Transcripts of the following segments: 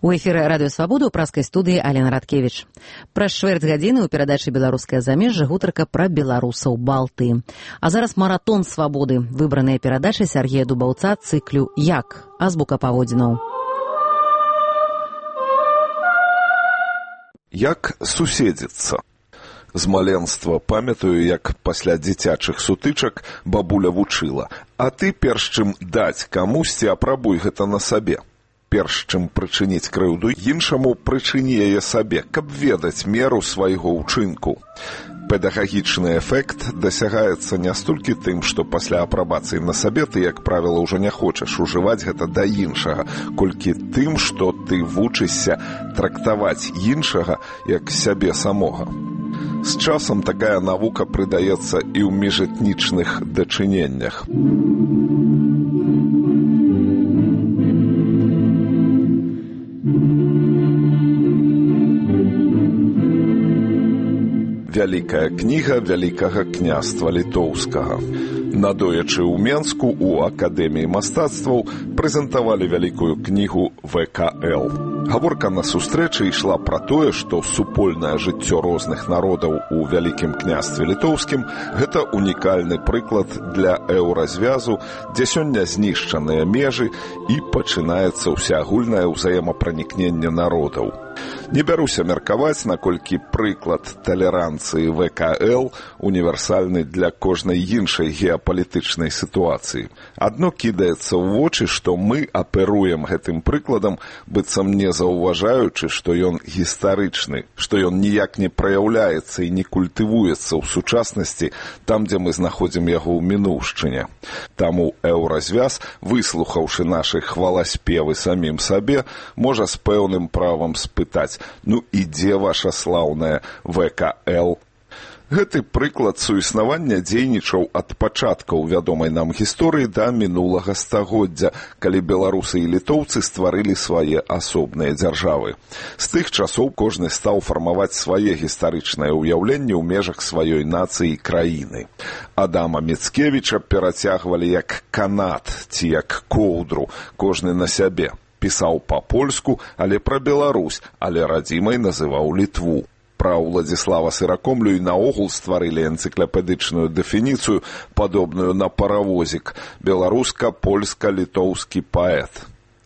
У эфіры радыё Свабода ў праскай студыі Алена Радкевіч. Праз чвэрць гадзіны ў перадачы «Беларускае замежжа» гутарка пра беларусаў Балтыі. А зараз маратон свабоды. Выбраныя перадачы Сяргея Дубаўца цыклю «Як? Азбука паводзінаў». Як суседзіцца? З маленства памятаю, як пасля дзіцячых сутычак бабуля вучыла. А ты, перш чым даць камусьці, апрабуй гэта на сабе. Перш чым прычыніць крыўду іншаму, прычыні яе сабе, каб ведаць меру свайго ўчынку. Педагагічны эфект дасягаецца не столькі тым, што пасля апрабацыі на сабе ты, як правіла, ўжо не хочаш ужываць гэта да іншага, колькі тым, што ты вучышся трактаваць іншага як сябе самога. З часам такая навука прыдаецца і ў міжэтнічных дачыненнях. Вялікая кніга Вялікага княства літоўскага. Надоечы ў Менску у Акадэміі мастацтваў прэзентавалі вялікую кнігу ВКЛ. Гаворка на сустрэчы ішла пра тое, што супольнае жыццё розных народаў у Вялікім княстве літоўскім – гэта унікальны прыклад для еўразвязу, дзе сёння знішчаныя межы і пачынаецца ўсеагульнае ўзаемапранікненне народаў. Не бяруся меркаваць, наколькі прыклад талеранцыі ВКЛ універсальны для кожнай іншай геапалітычнай сітуацыі. Адно кідаецца ў вочы, што мы аперуем гэтым прыкладам, быццам не заўважаючы, што ён гістарычны, што ён ніяк не праяўляецца і не культывуецца ў сучаснасці там, дзе мы знаходзім яго ў мінуўшчыне. Таму еўразвяз, выслухаўшы нашы хваласпевы самім сабе, можа з пэўным правам спытаць: ну і дзе ваша слаўная ВКЛ? Гэты прыклад суіснавання дзейнічаў ад пачаткаў вядомай нам гісторыі да мінулага стагоддзя, калі беларусы і літоўцы стварылі свае асобныя дзяржавы. З тых часоў кожны стаў фармаваць свае гістарычнае ўяўленне ў межах сваёй нацыі і краіны. Адама Міцкевіча перацягвалі як канат ці як коўдру, кожны на сябе. Пісаў па-польску, але пра Беларусь, але радзімай называў Літву. Пра Уладзіслава Сыракомлю і наогул стварылі энцыклапедычную дэфініцыю, падобную на паравозік: беларуска-польска-літоўскі паэт.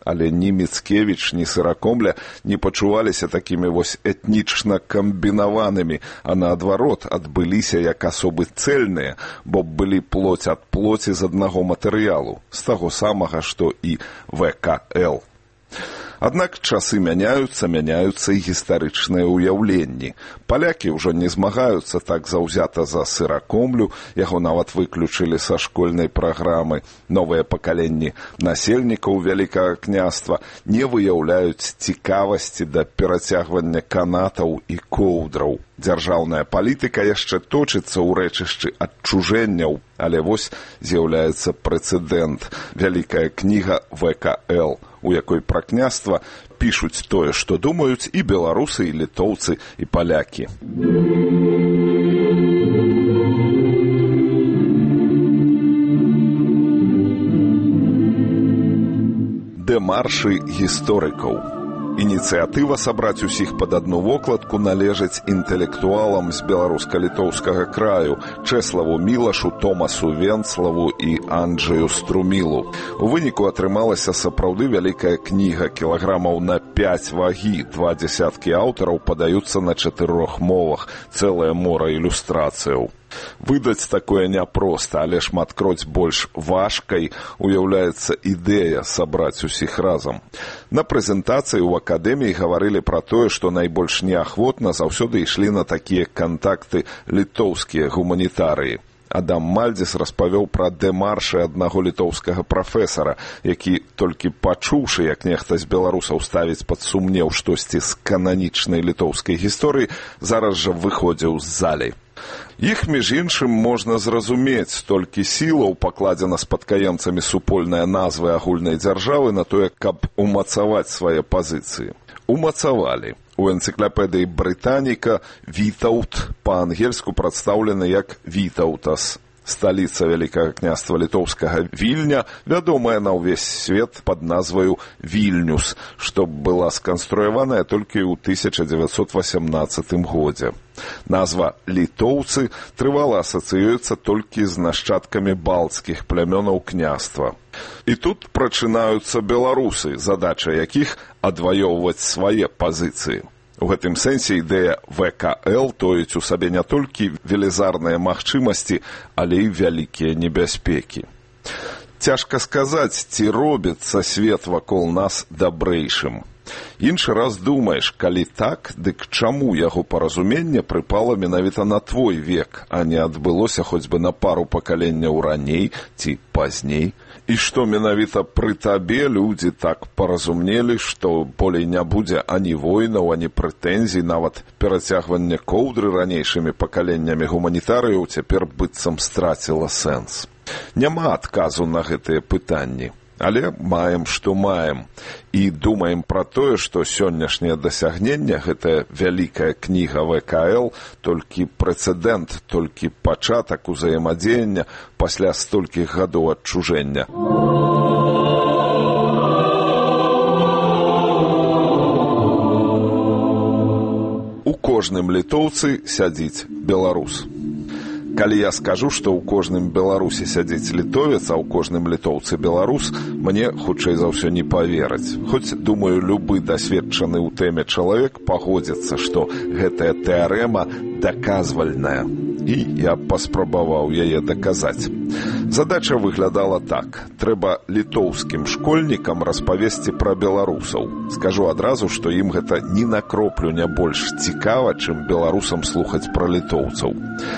Але ні Міцкевіч, ні Сыракомля не пачуваліся такімі вось этнічна камбінаванымі, а наадварот адбыліся як асобы цэльныя, бо былі плоць ад плоці з аднаго матэрыялу, з таго самага, што і ВКЛ. Аднак часы мяняюцца і гістарычныя ўяўленні. Палякі ўжо не змагаюцца так заўзята за Сыракомлю, яго нават выключылі са школьнай праграмы. Новыя пакаленні насельнікаў Вялікага княства не выяўляюць цікавасці да перацягвання канатаў і коўдраў. Дзяржаўная палітыка яшчэ точыцца ў рэчышчы адчужэнняў, але вось з'яўляецца прэцэдэнт. Вялікая кніга ВКЛ, у якой пра княства пішуць тое, што думаюць і беларусы, і літоўцы, і палякі. Дэмаршы гісторыкаў. Ініцыятыва сабраць усіх пад адну вокладку належыць інтэлектуалам з беларуска-літоўскага краю Чэславу Мілашу, Томасу Венцлаву і Анджэю Струмілу. У выніку атрымалася сапраўды вялікая кніга, кілаграмаў на 5 вагі, 20 аўтараў падаюцца на 4 мовах, цэлае мора ілюстрацыяў. Выдаць такое няпроста, але шматкроць больш важкай уяўляецца ідэя сабраць усіх разам. На прэзентацыі ў акадэміі гаварылі пра тое, што найбольш неахвотна заўсёды ішлі на такія кантакты літоўскія гуманітарыі. Адам Мальдзіс распавёў пра дэмаршы аднаго літоўскага прафесара, які, толькі пачуўшы, як нехта з беларусаў ставіць пад сумнеў штосьці з кананічнай літоўскай гісторыі, зараз жа выходзіў з залі. Іх, між іншым, можна зразумець, столькі сілаў пакладзена спадкаемцамі супольныя назвы агульнай дзяржавы на тое, каб умацаваць свае пазіцыі. Умацавалі. У энцыклапедыі Брытаніка Вітаўт па-ангельску прадстаўлены як Вітаўтас. сталіца Вялікага княства літоўскага Вільня, вядомая на ўвесь свет пад назваю Вільнюс, што была сканструяваная толькі ў 1918 годзе. Назва «літоўцы» трывала асацыюецца толькі з нашчадкамі балцкіх плямёнаў княства. І тут прачынаюцца беларусы, задача якіх адваёўваць свае пазіцыі. У гэтым сэнсе ідэя ВКЛ тоіць у сабе не толькі велізарныя магчымасці, але і вялікія небяспекі. Цяжка сказаць, ці робіцца свет вакол нас дабрэйшым. Іншы раз думаеш, калі так, дык чаму яго паразуменне прыпала менавіта на твой век, а не адбылося хоць бы на пару пакаленняў раней ці пазней? І што менавіта пры табе людзі так паразумнелі, што болей не будзе ані войнаў, ані прэтэнзій, нават перацягванне коўдры ранейшымі пакаленнямі гуманітарыяў цяпер быццам страціла сэнс. Няма адказу на гэтыя пытанні. Але маем, што маем. І думаем пра тое, што сённяшняе дасягненне, гэтая вялікая кніга ВКЛ, толькі прэцэдэнт, толькі пачатак узаемадзеяння пасля столькіх гадоў адчужэння. У кожным літоўцы сядзіць беларус. Калі я скажу, што ў кожным беларусе сядзіць літовец, а ў кожным літоўцы беларус, мне, хутчэй за ўсё, не павераць. Хоць, думаю, любы дасведчаны ў тэме чалавек пагодзіцца, што гэтая тэарэма даказвальная. І я паспрабаваў яе даказаць. Задача выглядала так. Трэба літоўскім школьнікам распавесці пра беларусаў. Скажу адразу, што ім гэта ні на кроплю не больш цікава, чым беларусам слухаць пра літоўцаў.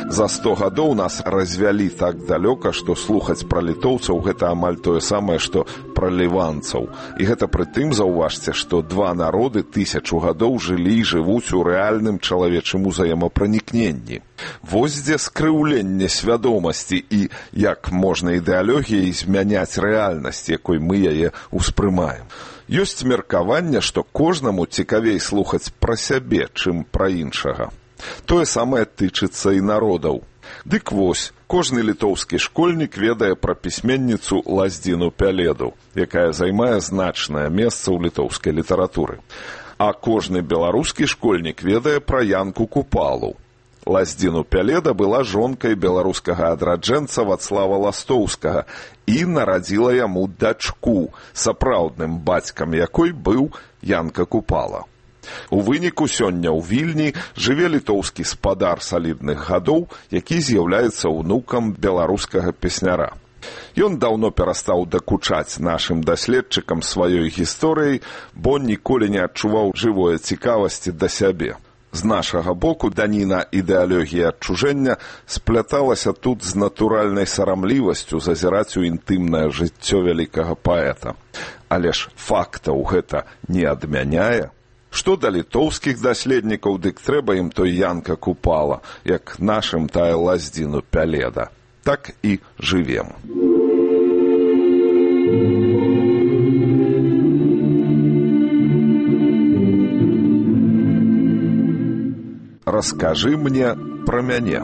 За 100 гадоў нас развялі так далёка, што слухаць пра літоўцаў гэта амаль тое самае, што пра ліванцаў. І гэта пры тым, заўважце, што два народы 1000 гадоў жылі і жывуць у рэальным чалавечым узаемапранікненні. Вось дзе скрыўленне свядомасці і як можна ідэалогіяй змяняць рэальнасць, якой мы яе ўспрымаем. Ёсць меркаванне, што кожнаму цікавей слухаць пра сябе, чым пра іншага. Тое самае тычыцца і народаў. Дык вось, кожны літоўскі школьнік ведае пра пісьменніцу Лаздзіну Пяледу, якая займае значнае месца ў літоўскай літаратуры. А кожны беларускі школьнік ведае пра Янку Купалу. Лаздзіну Пяледа была жонкай беларускага адраджэнца Вацлава Ластоўскага і нарадзіла яму дачку, сапраўдным бацькам якой быў Янка Купала. У выніку сёння ў Вільні жыве літоўскі спадар салідных гадоў, які з'яўляецца ўнукам беларускага песняра. Ён даўно перастаў дакучаць нашым даследчыкам сваёй гісторыяй, бо ніколі не адчуваў жывой цікавасці да сябе. З нашага боку даніна ідэалогіі адчужэння спляталася тут з натуральнай сарамлівасцю зазіраць у інтымнае жыццё вялікага паэта. Але ж фактаў гэта не адмяняе. Што да літоўскіх даследнікаў, дык трэба ім той Янка Купала, як нашым тая Лаздзіну Пяледа. Так і жывем. Раскажы мне пра мяне.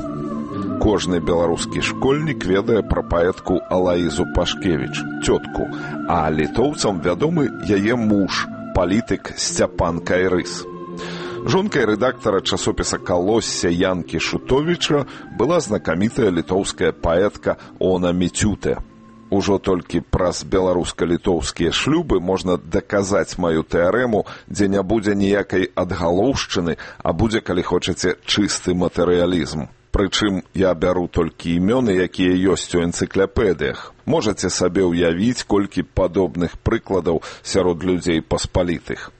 Кожны беларускі школьнік ведае пра паэтку Алаізу Пашкевіч, цётку, а літоўцам вядомы яе муж, палітык Сцяпан Кайрыс. Жонкай рэдактара часопіса «Калосся» Янкі Шутовіча была знакамітая літоўская паэтка Она Міцюте. Ужо толькі праз беларуска-літоўскія шлюбы можна даказаць маю тэарэму, дзе не будзе ніякай адгалоўшчыны, а будзе, калі хочаце, чысты матэрыялізм. Прычым я бяру толькі імёны, якія ёсць у энцыклапедыях. Можаце сабе ўявіць, колькі падобных прыкладаў сярод людзей паспалітых.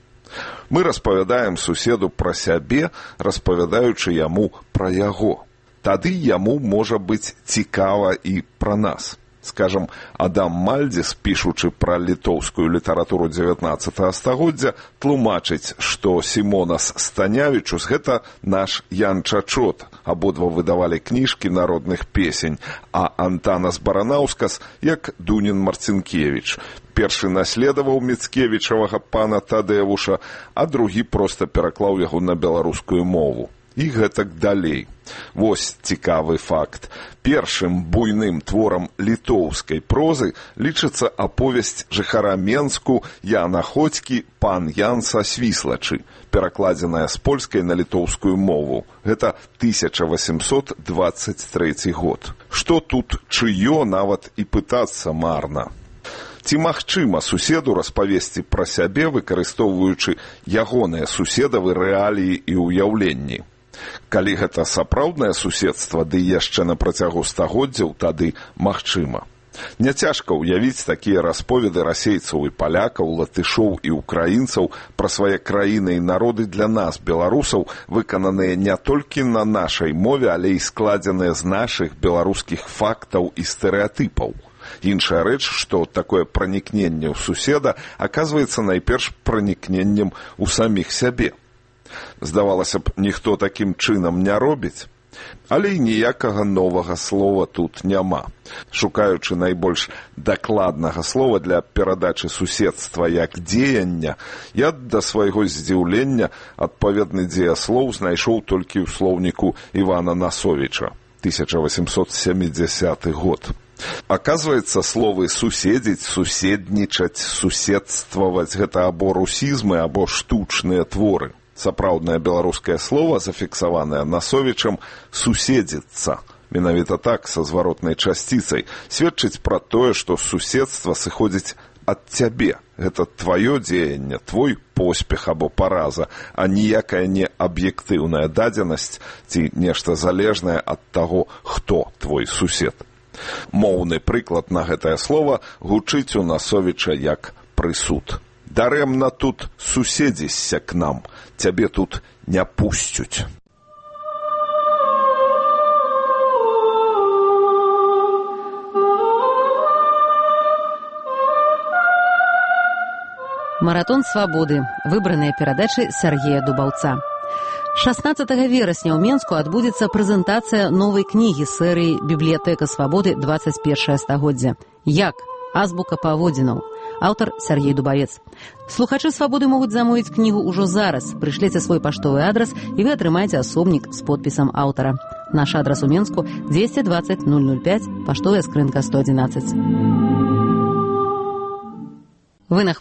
Мы распавядаем суседу пра сябе, распавядаючы яму пра яго. Тады яму можа быць цікава і пра нас. Скажам, Адам Мальдзіс, пішучы пра літоўскую літаратуру 19 стагоддзя, тлумачыць, што Сімонас Станявічус – гэта наш Ян Чачот, абодва выдавалі кніжкі народных песень, а Антанас Баранаўскас як Дунін Марцінкевіч. Першы наследаваў Міцкевічавага пана Тадэвуша, а другі проста пераклаў яго на беларускую мову. І гэтак далей. Вось цікавы факт. Першым буйным творам літоўскай прозы лічыцца аповесць жыхара Менску Яна Ходзькі «Пан Ян са Свіслачы», перакладзеная з польскай на літоўскую мову. Гэта 1823 год. Што тут чыё, нават і пытацца марна. Ці магчыма суседу распавесці пра сябе, выкарыстоўваючы ягоныя суседавы рэаліі і ўяўленні? Калі гэта сапраўднае суседства, ды яшчэ на працягу стагоддзяў, тады магчыма. Няцяжка ўявіць такія расповеды расейцаў і палякаў, латышоў і ўкраінцаў пра свае краіны і народы для нас, беларусаў, выкананыя не толькі на нашай мове, але і складзеныя з нашых беларускіх фактаў і стэрэатыпаў. Іншая рэч, што такое пранікненне ў суседа аказваецца найперш пранікненнем у саміх сябе. Здавалася б, ніхто такім чынам не робіць. Але і ніякага новага слова тут няма. Шукаючы найбольш дакладнага слова для перадачы суседства як дзеяння, я да свайго здзіўлення адпаведны дзеяслоў знайшоў толькі ў слоўніку Івана Насовіча, 1870 год. Аказваецца, словы суседзіць, суседнічаць, суседстваваць – гэта або русізмы, або штучныя творы. Сапраўднае беларускае слова, зафіксаванае Насовічам, суседзіцца. Менавіта так, са зваротнай часціцай, сведчыць пра тое, што суседства сыходзіць ад цябе. Гэта тваё дзеянне, твой поспех або параза, а ніякая не аб'ектыўная дадзенасць ці нешта залежнае ад таго, хто твой сусед. Моўны прыклад на гэтае слова гучыць у Насовіча як прысуд. Дарэмна тут суседзішся к нам, цябе тут не пусцюць. Маратон свабоды. Выбраныя перадачы Сяргея Дубаўца. 16 верасня ў Менску адбудзецца прэзентацыя новай кнігі серыі «Бібліятэка свабоды. 21 стагоддзя». Як? Азбука паводзінаў. Аўтар Сяргей Дубавец. Слухачы свабоды могуць замовіць кнігу ўжо зараз. Прышліце свой паштовы адрас і вы атрымаеце асобнік з подпісам аўтара. Наш адрас у Менску 220 005, паштовая скрынка 111. Вы на